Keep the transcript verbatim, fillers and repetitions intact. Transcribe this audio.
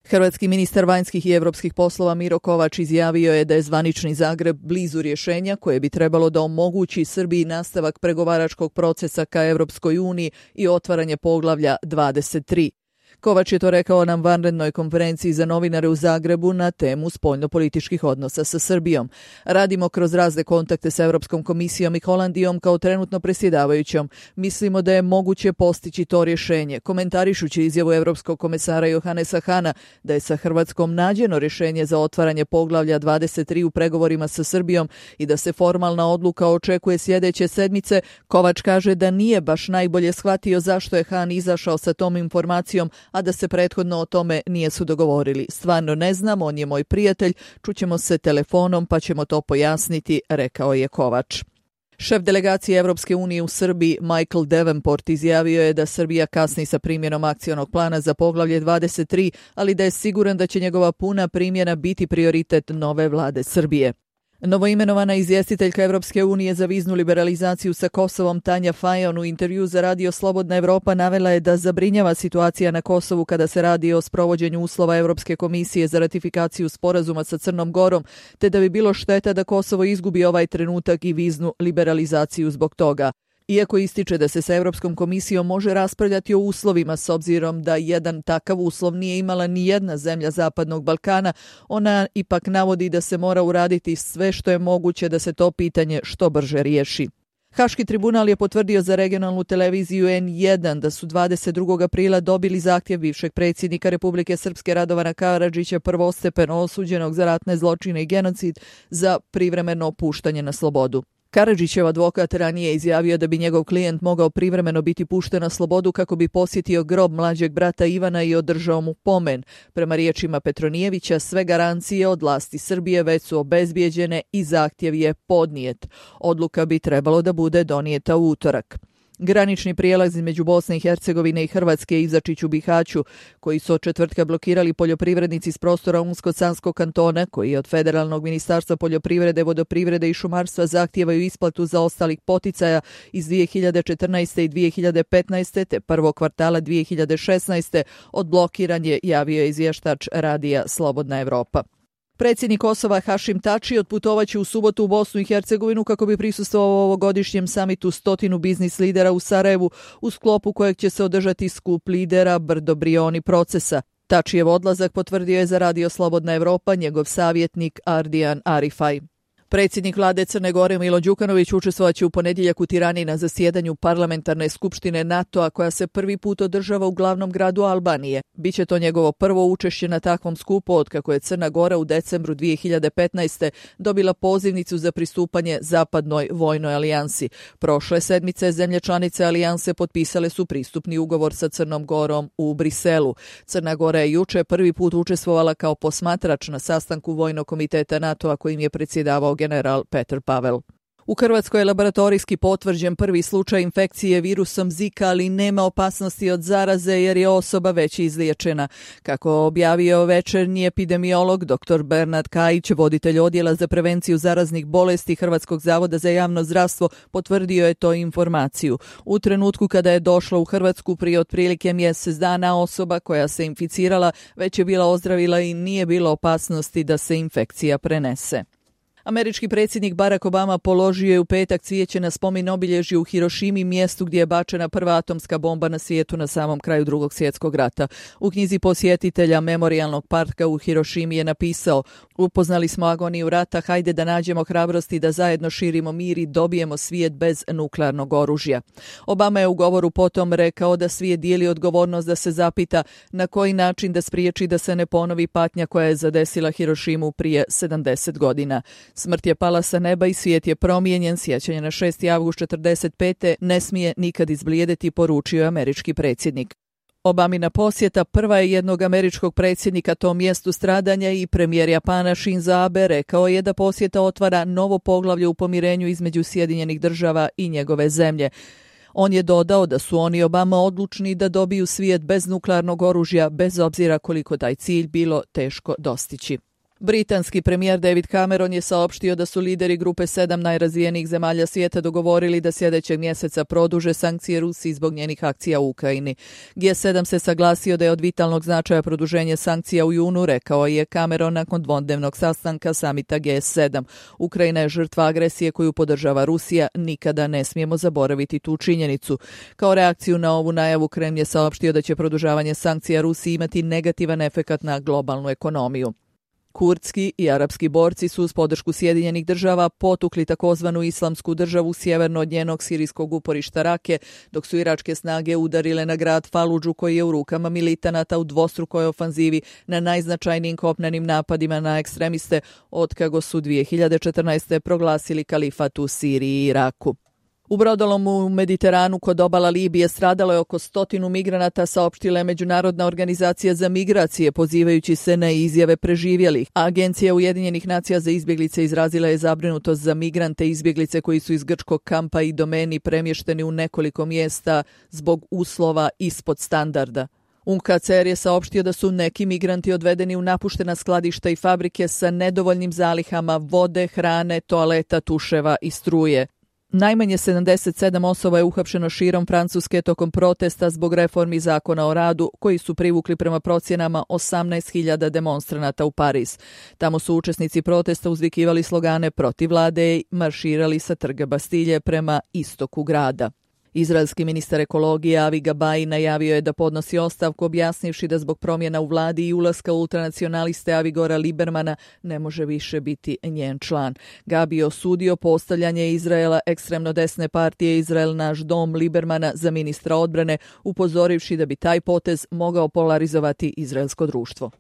Hrvatski ministar vanjskih i europskih poslova Miro Kovač izjavio je da je zvanični Zagreb blizu rješenja koje bi trebalo da omogući Srbiji nastavak pregovaračkog procesa ka Europskoj uniji i otvaranje poglavlja dvadeset tri. Kovač je to rekao na vanrednoj konferenciji za novinare u Zagrebu na temu spoljnopolitičkih odnosa sa Srbijom. Radimo kroz razne kontakte sa Europskom komisijom i Holandijom kao trenutno predsjedavajućom. Mislimo da je moguće postići to rješenje. Komentarišući izjavu Europskog komesara Johannesa Hana da je sa Hrvatskom nađeno rješenje za otvaranje poglavlja dvadeset tri u pregovorima sa Srbijom i da se formalna odluka očekuje sljedeće sedmice, Kovač kaže da nije baš najbolje shvatio zašto je Han izašao sa tom informacijom, a da se prethodno o tome nije su dogovorili. Stvarno ne znam, on je moj prijatelj, čućemo se telefonom pa ćemo to pojasniti, rekao je Kovač. Šef delegacije Europske unije u Srbiji Michael Davenport izjavio je da Srbija kasni sa primjenom akcionog plana za poglavlje dvadeset tri, ali da je siguran da će njegova puna primjena biti prioritet nove vlade Srbije. Novoimenovana izvjestiteljka Europske unije za viznu liberalizaciju sa Kosovom Tanja Fajon u intervju za radio Slobodna Evropa navela je da zabrinjava situacija na Kosovu kada se radi o sprovođenju uslova Europske komisije za ratifikaciju sporazuma sa Crnom Gorom, te da bi bilo šteta da Kosovo izgubi ovaj trenutak i viznu liberalizaciju zbog toga. Iako ističe da se sa Europskom komisijom može raspravljati o uslovima s obzirom da jedan takav uslov nije imala ni jedna zemlja Zapadnog Balkana, ona ipak navodi da se mora uraditi sve što je moguće da se to pitanje što brže riješi. Haški tribunal je potvrdio za regionalnu televiziju en jedan da su dvadeset drugog aprila dobili zahtjev bivšeg predsjednika Republike Srpske Radovana Karadžića, prvostepeno osuđenog za ratne zločine i genocid, za privremeno puštanje na slobodu. Karadžićev advokat ranije izjavio da bi njegov klijent mogao privremeno biti pušten na slobodu kako bi posjetio grob mlađeg brata Ivana i održao mu pomen. Prema riječima Petronijevića, sve garancije od vlasti Srbije već su obezbijeđene i zahtjev je podnijet. Odluka bi trebalo da bude donijeta u utorak. Granični prijelaz između Bosne i Hercegovine i Hrvatske Izačić u Bihaću, koji su od četvrtka blokirali poljoprivrednici s prostora Unsko-Sanskog kantona, koji od Federalnog ministarstva poljoprivrede, vodoprivrede i šumarstva zahtijevaju isplatu za ostalih poticaja iz dvije hiljade četrnaeste i dvije hiljade petnaeste te prvog kvartala dvije hiljade šesnaeste, odblokiran je, javio je izvještač radija Slobodna Evropa. Predsjednik Kosova Hašim Tači otputovaće u subotu u Bosnu i Hercegovinu kako bi prisustvovao ovogodišnjem samitu stotinu biznis lidera u Sarajevu, u sklopu kojeg će se održati skup lidera Brdo Brioni procesa. Tačijev odlazak potvrdio je za radio Slobodna Evropa njegov savjetnik Ardijan Arifaj. Predsjednik vlade Crne Gore Milo Đukanović učestvovaće u ponedjeljak u Tirani na zasjedanju parlamentarne skupštine NATO-a koja se prvi put održava u glavnom gradu Albanije. Biće to njegovo prvo učešće na takvom skupu otkako je Crna Gora u decembru dvije hiljade petnaeste. dobila pozivnicu za pristupanje Zapadnoj vojnoj alijansi. Prošle sedmice zemlje članice alijanse potpisale su pristupni ugovor sa Crnom Gorom u Briselu. Crna Gora je juče prvi put učestvovala kao posmatrač na sastanku Vojnog komiteta NATO-a kojim je predsjedavao general Petar Pavel. U Hrvatskoj je laboratorijski potvrđen prvi slučaj infekcije virusom Zika, ali nema opasnosti od zaraze jer je osoba već izliječena. Kako objavio večernji epidemiolog doktor Bernard Kajić, voditelj odjela za prevenciju zaraznih bolesti Hrvatskog zavoda za javno zdravstvo, potvrdio je to informaciju. U trenutku kada je došla u Hrvatsku prije otprilike mjesec dana, osoba koja se inficirala već je bila ozdravila i nije bilo opasnosti da se infekcija prenese. Američki predsjednik Barack Obama položio je u petak cvijeće na spomen obilježje u Hirošimi, mjestu gdje je bačena prva atomska bomba na svijetu na samom kraju Drugog svjetskog rata. U knjizi posjetitelja Memorijalnog parka u Hirošimi je napisao: upoznali smo agoniju rata, hajde da nađemo hrabrosti da zajedno širimo mir i dobijemo svijet bez nuklearnog oružja. Obama je u govoru potom rekao da svijet dijeli odgovornost da se zapita na koji način da spriječi da se ne ponovi patnja koja je zadesila Hirošimu prije sedamdeset godina. Smrt je pala sa neba i svijet je promijenjen. Sjećanje na šesti avgust četrdeset pete ne smije nikad izblijediti, poručio je američki predsjednik. Obamina posjeta prva je jednog američkog predsjednika tom mjestu stradanja i premijer Japana Shinzo Abe rekao je da posjeta otvara novo poglavlje u pomirenju između Sjedinjenih država i njegove zemlje. On je dodao da su oni Obama odlučni da dobiju svijet bez nuklearnog oružja, bez obzira koliko taj cilj bilo teško dostići. Britanski premijer David Cameron je saopštio da su lideri grupe sedam najrazvijenijih zemalja svijeta dogovorili da sljedećeg mjeseca produže sankcije Rusiji zbog njenih akcija u Ukrajini. G sedam se saglasio da je od vitalnog značaja produženje sankcija u junu, rekao je Cameron nakon dvodnevnog sastanka samita G sedam. Ukrajina je žrtva agresije koju podržava Rusija, nikada ne smijemo zaboraviti tu činjenicu. Kao reakciju na ovu najavu Kremlj je saopštio da će produžavanje sankcija Rusiji imati negativan efekat na globalnu ekonomiju. Kurdski i arapski borci su uz podršku Sjedinjenih država potukli takozvanu islamsku državu sjeverno od njenog sirijskog uporišta Rake, dok su iračke snage udarile na grad Faludžu koji je u rukama militanata u dvostrukoj ofanzivi na najznačajnijim kopnenim napadima na ekstremiste otkako su dvije hiljade četrnaeste. proglasili kalifat u Siriji i Iraku. U brodolomu u Mediteranu kod obala Libije stradalo je oko stotinu migranata, saopštila je Međunarodna organizacija za migracije, pozivajući se na izjave preživjelih. Agencija Ujedinjenih nacija za izbjeglice izrazila je zabrinutost za migrante i izbjeglice koji su iz grčkog kampa i domeni premješteni u nekoliko mjesta zbog uslova ispod standarda. U N H C R je saopštio da su neki migranti odvedeni u napuštena skladišta i fabrike sa nedovoljnim zalihama vode, hrane, toaleta, tuševa i struje. Najmanje sedamdeset sedam osoba je uhapšeno širom Francuske tokom protesta zbog reformi zakona o radu, koji su privukli prema procjenama osamnaest hiljada demonstranata u Pariz. Tamo su učesnici protesta uzvikivali slogane protiv vlade i marširali sa trga Bastilje prema istoku grada. Izraelski ministar ekologije Avi Gabai najavio je da podnosi ostavku, objasnivši da zbog promjena u vladi i ulaska ultranacionaliste Avigora Libermana ne može više biti njen član. Gabi je osudio postavljanje Izraela ekstremno desne partije Izrael naš dom Libermana za ministra odbrane, upozorivši da bi taj potez mogao polarizovati izraelsko društvo.